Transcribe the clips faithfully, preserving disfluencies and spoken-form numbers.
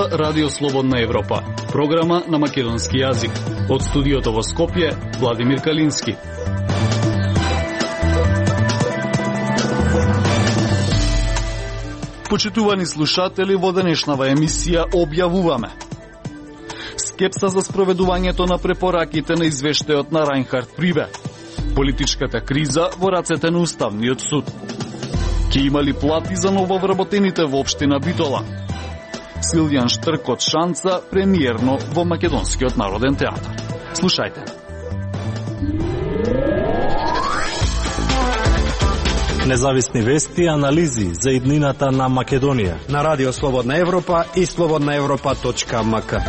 слуша Радио Слободна Европа, програма на македонски јазик. Од студиото во Скопје, Владимир Калински. Почитувани слушатели, во денешнава емисија објавуваме скепса за спроведувањето на препораките на извештајот на Рајнхард Прибе, политичката криза во рацете на Уставниот суд, ке имали плати за нововработените во општина Битола, Силјан Штрк од Шанца премиерно во Македонскиот народен театар. Слушајте. Независни вести и анализи за иднината на Македонија на Радио Слободна Европа и слободна европа точка ем ка.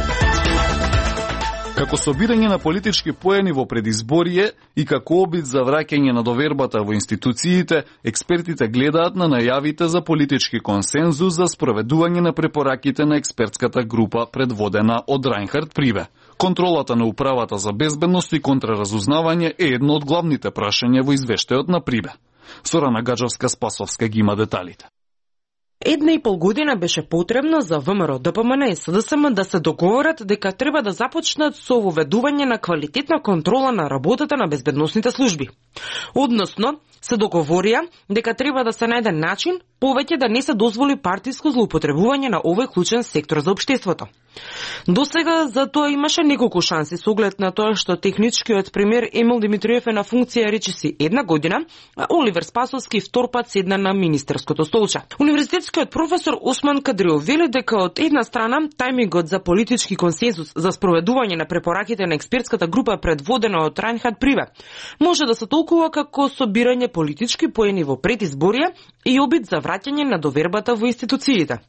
Како собирање на политички поени во предизборие и како обид за враќање на довербата во институциите, експертите гледаат на најавите за политички консензус за спроведување на препораките на експертската група предводена од Рајнхард Прибе. Контролата на управата за безбедност и контраразузнавање е едно од главните прашања во извештајот на Прибе. Сорана Гаджовска-Спасовска ги има деталите. Една и пол година беше потребно за ВМРО, ДПМН и СДСМ да се договорат дека треба да започнат со воведување на квалитетна контрола на работата на безбедносните служби. Односно, се договорија дека треба да се најде начин повеќе да не се дозволи партиско злоупотребување на овој клучен сектор за општеството. Досега за тоа имаше неколку шанси со оглед на тоа што техничкиот премиер Емил Димитриев е на функција речиси една година, а Оливер Спасовски втор пат седна на министерското столче. Универзитетскиот професор Осман Кадриов вели дека од една страна тајмингот за политички консензус за спроведување на препораките на експертската група предводена од Рајнхард Прибе може да се толкува како собирање политички поени во предизборие и обид за враќање на довербата во институциите.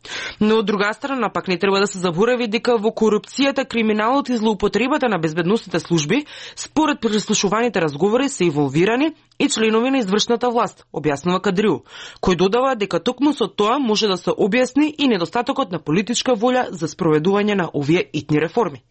Но од друга страна пак не треба да се заборави дека во корупцијата, криминалот и злоупотребата на безбедносните служби, според преслушуваните разговори се инволвирани и членови на извршната власт, објаснува Кадриу, кој додава дека токму со тоа може да се објасни и недостатокот на политичка волја за спроведување на овие итни реформи.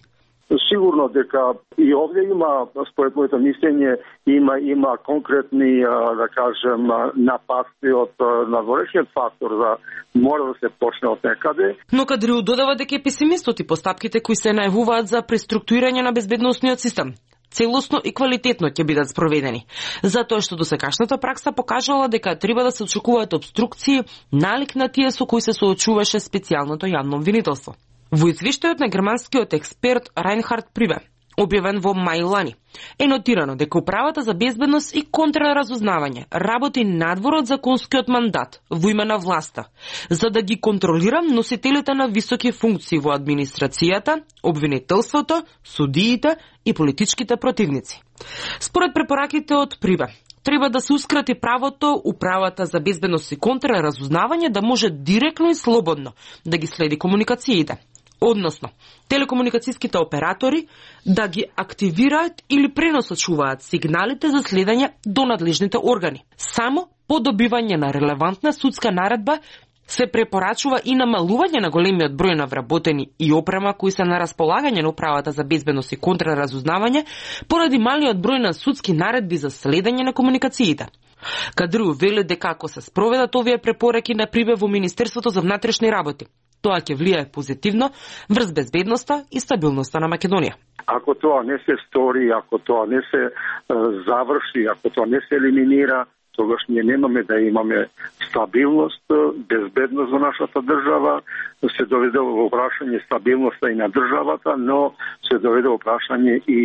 Сигурно дека и овде има, според моето мислење, има има конкретни, да кажем, нападки од надворешниот фактор за мора да се почне од некаде. Но Кадриу додава дека е песимистот и постапките кои се најавуваат за преструктурирање на безбедносниот систем целосно и квалитетно ќе бидат спроведени, затоа што досегашната пракса покажала дека треба да се очекуваат обструкции налик на тие со кои се соочуваше специјалното јавно обвинителство. Во извештајот на германскиот експерт Рајнхард Прибе, објавен во мај лани, е нотирано дека управата за безбедност и контраразузнавање работи надвор од законскиот мандат во име на власта, за да ги контролира носителите на високи функции во администрацијата, обвинителството, судиите и политичките противници. Според препораките од Прибе, треба да се ускрати правото управата за безбедност и контраразузнавање да може директно и слободно да ги следи комуникациите. Односно, телекомуникацијските оператори да ги активираат или преносачуваат сигналите за следење до надлежните органи. Само по добивање на релевантна судска наредба се препорачува и намалување на големиот број на вработени и опрема кои се на располагање на управата за безбедност и контраразузнавање поради малиот број на судски наредби за следење на комуникациите. Кадриу вели дека ако се спроведат овие препораки на Прибе во Министерството за внатрешни работи, тоа ќе влијае позитивно врз безбедноста и стабилноста на Македонија. Ако тоа не се стори, ако тоа не се е, заврши, ако тоа не се елиминира, тогаш ние немаме да имаме стабилност, безбедност во нашата држава, се доведе во прашање стабилноста и на државата, но се доведе во прашање и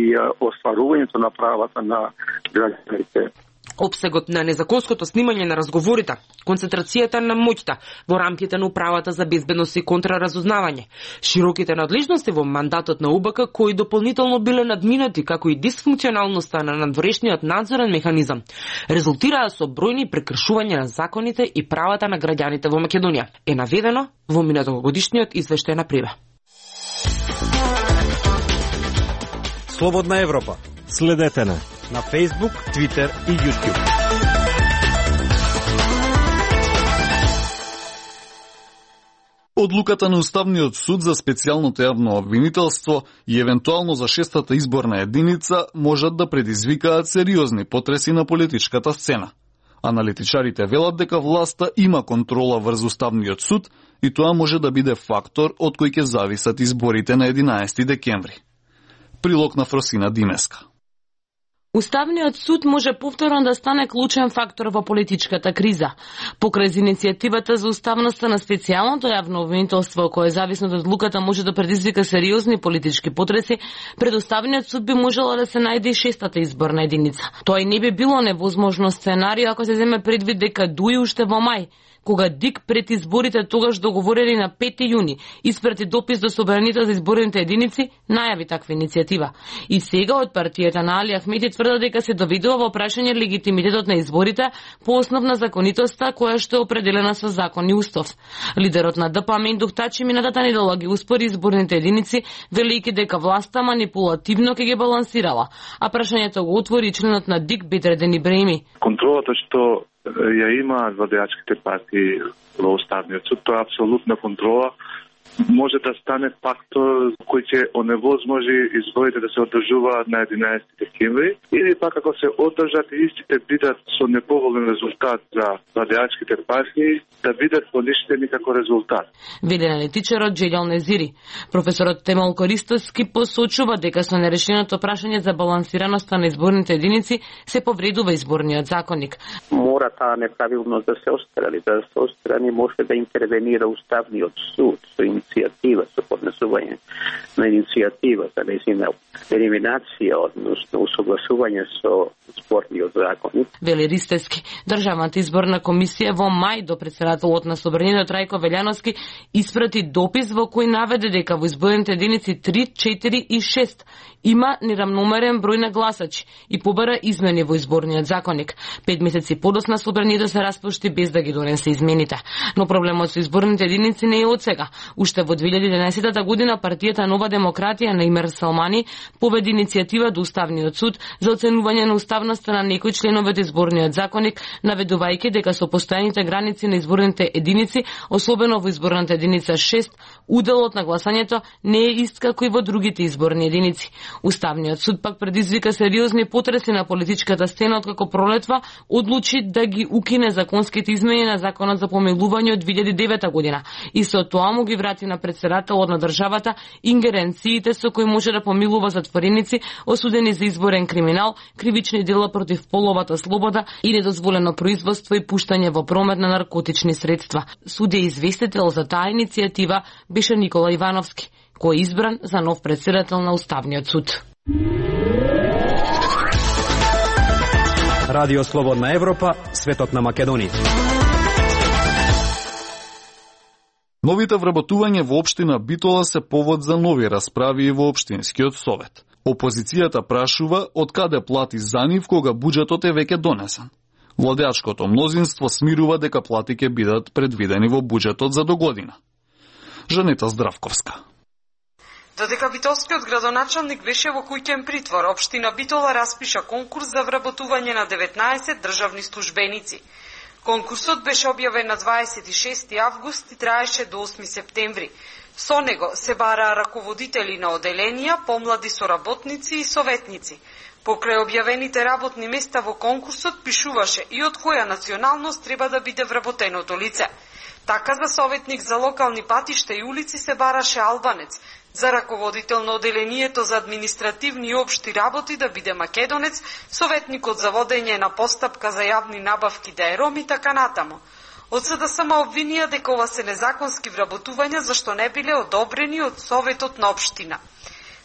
остварувањето на правата на граѓаните. Обсегот на незаконското снимање на разговорите, концентрацијата на моќта во рамките на управата за безбедност и контраразузнавање, широките надлежности во мандатот на У Б К кои дополнително биле надминати, како и дисфункционалноста на надворешниот надзорен механизам, резултираа со бројни прекршувања на законите и правата на граѓаните во Македонија, е наведено во минатогодишниот извештај на Прибе. Слободна Европа. Следете на на Facebook, Twitter и YouTube. Одлуката на Уставниот суд за специјалното јавно обвинителство и евентуално за шестата изборна единица можат да предизвикаат сериозни потреси на политичката сцена. Аналитичарите велат дека власта има контрола врз Уставниот суд и тоа може да биде фактор од кој ќе зависат изборите на единаесети декември. Прилог на Фросина Димеска. Уставниот суд може повторно да стане клучен фактор во политичката криза. Покрај иницијативата за уставноста на специјалното јавно обвинителство, кое зависно од одлуката може да предизвика сериозни политички потреси, пред Уставниот суд би можела да се најде и шестата изборна единица. Тоа и не би било невозможно сценарио ако се земе предвид дека дуи уште во мај, кога ДИК пред изборите тогаш договорени на пети јуни испрати допис до собранието за изборните единици, најави таква иницијатива. И сега од партијата на Али Ахмеди тврдат дека се доведува во прашање легитимитетот на изборите по основ на законитоста која што е определена со закон и устав. Лидерот на ДП Мендух Тачи минатата недела ги успори изборните единици, велејќи дека власта манипулативно ќе ги балансирала, а прашањето го отвори членот на ДИК Бедреден Ибраими. Контролата што ја имаат владеачките партии во Уставниот суд, тоа е апсолутна контрола, може да стане фактор кој ќе оневозможи изборите да се одржуваат на единаесети декември, или пак ако се одржат и истите бидат со неповолен резултат за владеачките партии, да бидат поништени како резултат. Вели аналитичарот Джелјал Незири. Професорот Темел Користоски посочува дека со нерешеното прашање за балансираноста на изборните единици се повредува изборниот законник. Мора таа неправилност да се острани, да се острани може да интервенира Уставниот суд со иницијатива, со поднесување на иницијатива за нејзина елиминација, односно усогласување со изборниот законник. Вели Ристевски, Државната изборна комисија во мај до претседателот на Собранието Трајко Велјановски испрати допис во кој наведе дека во изборните единици три, четири и шест има неравномерен број на гласачи и побара измени во изборниот законник. Пет месеци подосна Собранието се распушти без да ги донесе измените. Но проблемот со изборните единици не е од сега. Уште во две илјади и единаесета година партијата Нова демократија на Имер Салмани поведи иницијатива до Уставниот суд за оценување на уставноста на некои членови од изборниот законник, наведувајќи дека со постојаните граници на изборните единици, особено во изборната единица шест, уделот на гласањето не е ист како и во другите изборни единици. Уставниот суд пак предизвика сериозни потреси на политичката сцена откако пролетва одлучи да ги укине законските измени на законот за помилување од две илјади и девета година и со тоа му ги врати на претседателот на државата ингеренциите со кои може да помилува затвореници осудени за изборен криминал, кривични дела против половата слобода и недозволено производство и пуштање во промет на наркотични средства. Судија известител за таа иницијатива беше Никола Ивановски, кој е избран за нов претседател на Уставниот суд. Радио Слободна Европа, светот на Македонија. Новите вработување во општина Битола се повод за нови расправи во општинскиот совет. Опозицијата прашува од каде плати за нив кога буџетот е веќе донесен. Владеачкото мнозинство смирува дека плати ќе бидат предвидени во буџетот за догодина. Жанета Здравковска. Додека битолскиот градоначалник беше во куќен притвор, општина Битола распиша конкурс за вработување на деветнаесет државни службеници. Конкурсот беше објавен на дваесет и шести август и траеше до осми септември. Со него се бараа раководители на оделенија, помлади соработници и советници. Покрај објавените работни места во конкурсот пишуваше и од која националност треба да биде вработеното лице. Така за советник за локални патишта и улици се бараше албанец, за раководител на оделението за административни и општи работи да биде македонец, советникот за водење на постапка за јавни набавки да е ром и така натаму. Од СДСМ обвинија дека ова се незаконски вработувања зашто не биле одобрени од Советот на општина.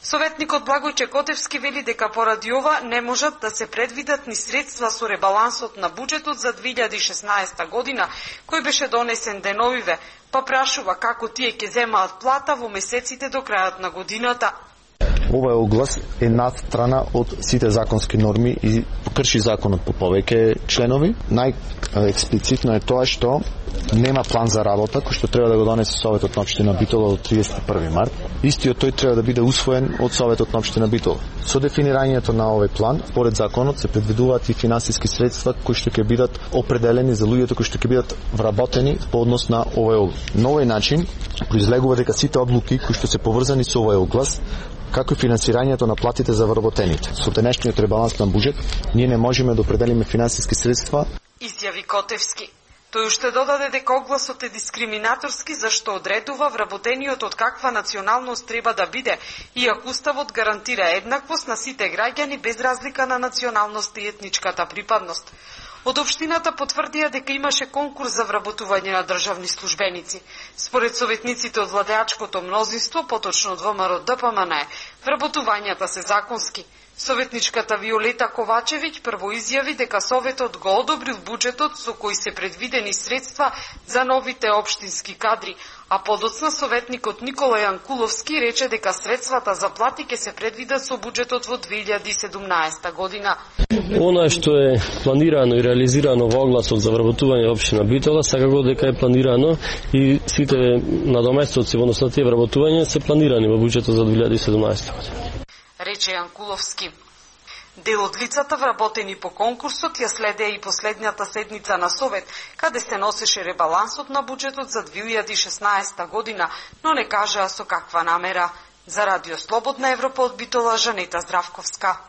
Советникот Благојче Котевски вели дека поради ова не можат да се предвидат ни средства со ребалансот на буџетот за две илјади и шеснаесета година, кој беше донесен деновиве, па прашува како тие ќе земаат плата во месеците до крајот на годината. Овој оглас е надстрана од сите законски норми и крши законот по повеќе членови. Најексплицитно е тоа што нема план за работа кој што треба да го донесе Советот на општина Битола до триесет и први март. Истиот тој треба да биде усвоен од Советот на општина Битола. Со дефинирањето на овој план, според законот се предвидуваат и финансиски средства кои што ќе бидат определени за луѓето кои што ќе бидат вработени по однос на овој оглас. На овој начин произлегува дека сите одлуки кои што се поврзани со овој оглас, како и финансирањето на платите за вработените. Со денешниот ребаланс на буџет, ние не можеме да определиме финансиски средства изјави Котевски. Тој уште додаде дека огласот е дискриминаторски зашто одредува вработениот од каква националност треба да биде, иако Уставот гарантира еднаквост на сите граѓани без разлика на националност и етничката припадност. Од општината потврдија дека имаше конкурс за вработување на државни службеници. Според советниците од владеачкото мнозинство, поточно од ВМРО Д П М Н, вработувањата се законски. Советничката Виолета Ковачевиќ прво изјави дека Советот го одобрил буџетот со кој се предвидени средства за новите општински кадри, а подоцна советникот Никола Јанкуловски рече дека средствата за плати ќе се предвидат со буџетот во две илјади и седумнаесета година. Она што е планирано и реализирано во огласот за вработување општина Битола, секако дека е планирано и сите надоместоци, односно тие вработувања се планирани во буџетот за две илјади и седумнаесета година. Рече Јанкуловски. Дел од лицата вработени по конкурсот ја следеа и последниот седница на Совет, каде се носеше ребалансот на буџетот за две илјади и шеснаесета година, но не кажаа со каква намера. За Радио Слободна Европа од Битола, Жанета Здравковска.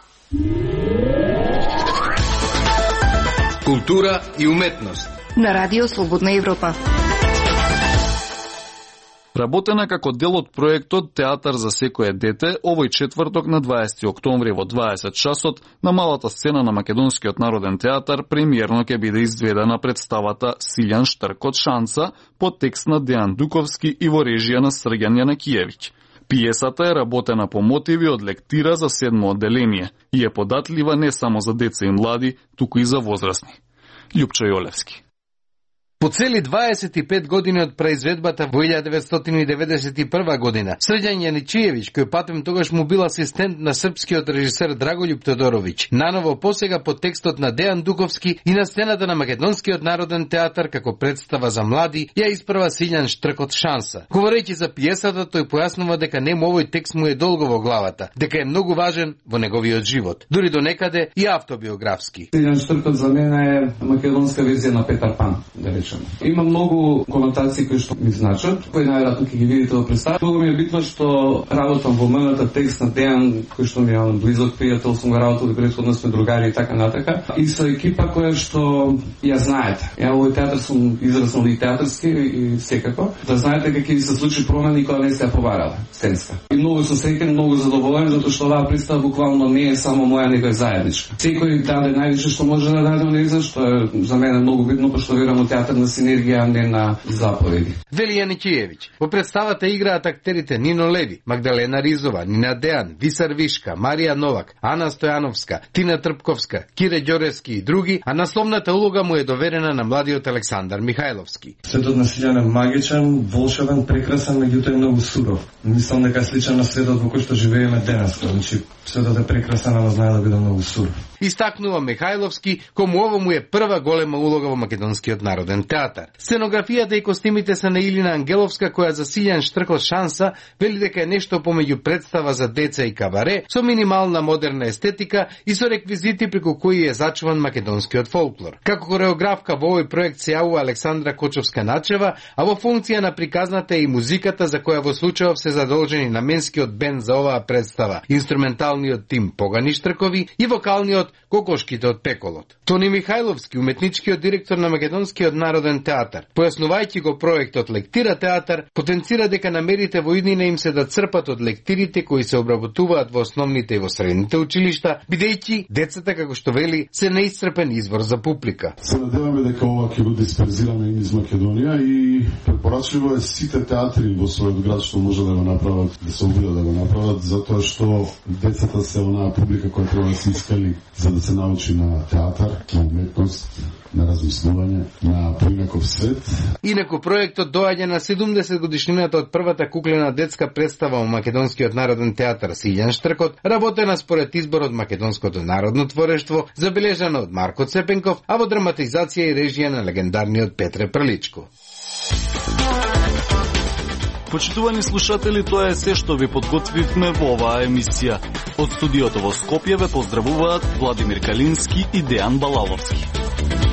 Култура и уметност на Радио Слободна Европа. Работена како дел од проектот Театар за секое дете, овој четврток на дваесети октомври во дваесет часот на малата сцена на Македонскиот народен театар премиерно ќе биде изведена представата Силјан Штркот Шанса по текст на Дејан Дуковски и во режија на Срѓан Јанакиевиќ. Пиесата е работена по мотиви од лектира за седмо одделение и е податлива не само за деца и млади, туку и за возрастни. Љупчо Јолевски. По цели дваесет и пет години од произведбата во илјада деветстотини и деветдесет и прва година, Срđan Јаничиевиќ, кој патем тогаш му бил асистент на српскиот режисер Драголјуб Тодоровиќ, наново посега по текстот на Дејан Дуковски и на сцената на Македонскиот народен театар како представа за млади, ја испрва Силјан Штркот Шанса. Говорејќи за пиесата, тој појаснува дека нему овој текст му е долго во главата, дека е многу важен во неговиот живот, дури до некаде и автобиографски. Силјан Штркот за мене е македонска верзија на Петар Пан, да речем. Има многу конотации кои што ми значат, кои најверојатно ќе ги видите во представа. Многу ми е битно што работам во мената текст на Дејан, кој што ми е близок пријател, сум го работил и претходно сме другари и така натака. И со екипа која што ја знаете. Ја овој театар сум израснал и театарски и секако. Да знаете како ќе се случи промени кога не се ја побарала сценска. И многу сум среќен, многу задоволен затоа што оваа представа буквално не е само моја, него е заедничка. Секој даде највише што може да даде онеза, што е за мене многу битно, пошто верам во театар на синергија, не на заповеди. Вели Јаничиевиќ. Во представата играат актерите Нино Леви, Магдалена Ризова, Нина Дејан, Висар Вишка, Марија Новак, Ана Стојановска, Тина Трпковска, Кире Ѓоревски и други, а насловната улога му е доверена на младиот Александар Михајловски. Светот на Силјан е магичен, волшебен, прекрасен, меѓутоа е многу суров. Мислам дека сличен на светот во кој што живееме денес, значи светот е прекрасен, ама знае да биде многу суров. Истакнува Михајловски, кому ово му е прва голема улога во Македонскиот народен театар. Сценографијата и костимите се на Илина Ангеловска, која за Силјан Штркот Шанса вели дека е нешто помеѓу представа за деца и кабаре, со минимална модерна естетика и со реквизити преку кои е зачуван македонскиот фолклор. Како хореографка во овој проект се јавува Александра Кочовска-Начева, а во функција на приказната е и музиката, за која во случајов се задолжени наменскиот бенд за оваа представа, инструменталниот тим Погани Штркови и вокалниот Кокошките од Пеколот. Тони Михајловски, уметничкиот директор на Македонскиот народен театар, појаснувајќи го проектот Лектира театар, потенцира дека намерите во иднина им се да црпат од лектирите кои се обработуваат во основните и во средните училишта, бидејќи децата, како што вели, се неисцрпен извор за публика. Се надеваме дека ова ќе биде дисперзирано из Македонија и препорачливо е сите театри во својот град што може да го направат, да се обидат да го направат, затоа што децата се онаа публика која треба да се искали за да се научи на театар, на уметност, на размислување, на поинаков свет. Инаку проектот доаѓа на седумдесет годишнината од првата куклена детска представа во Македонскиот народен театар Силјан Штркот, работена според изборот Македонското народно творештво, забележана од Марко Цепенков, а во драматизација и режија на легендарниот Петре Прличко. Почитувани слушатели, тоа е се што ви подготвивме во оваа емисија. Од студиото во Скопје ве поздравуваат Владимир Калински и Дејан Балаловски.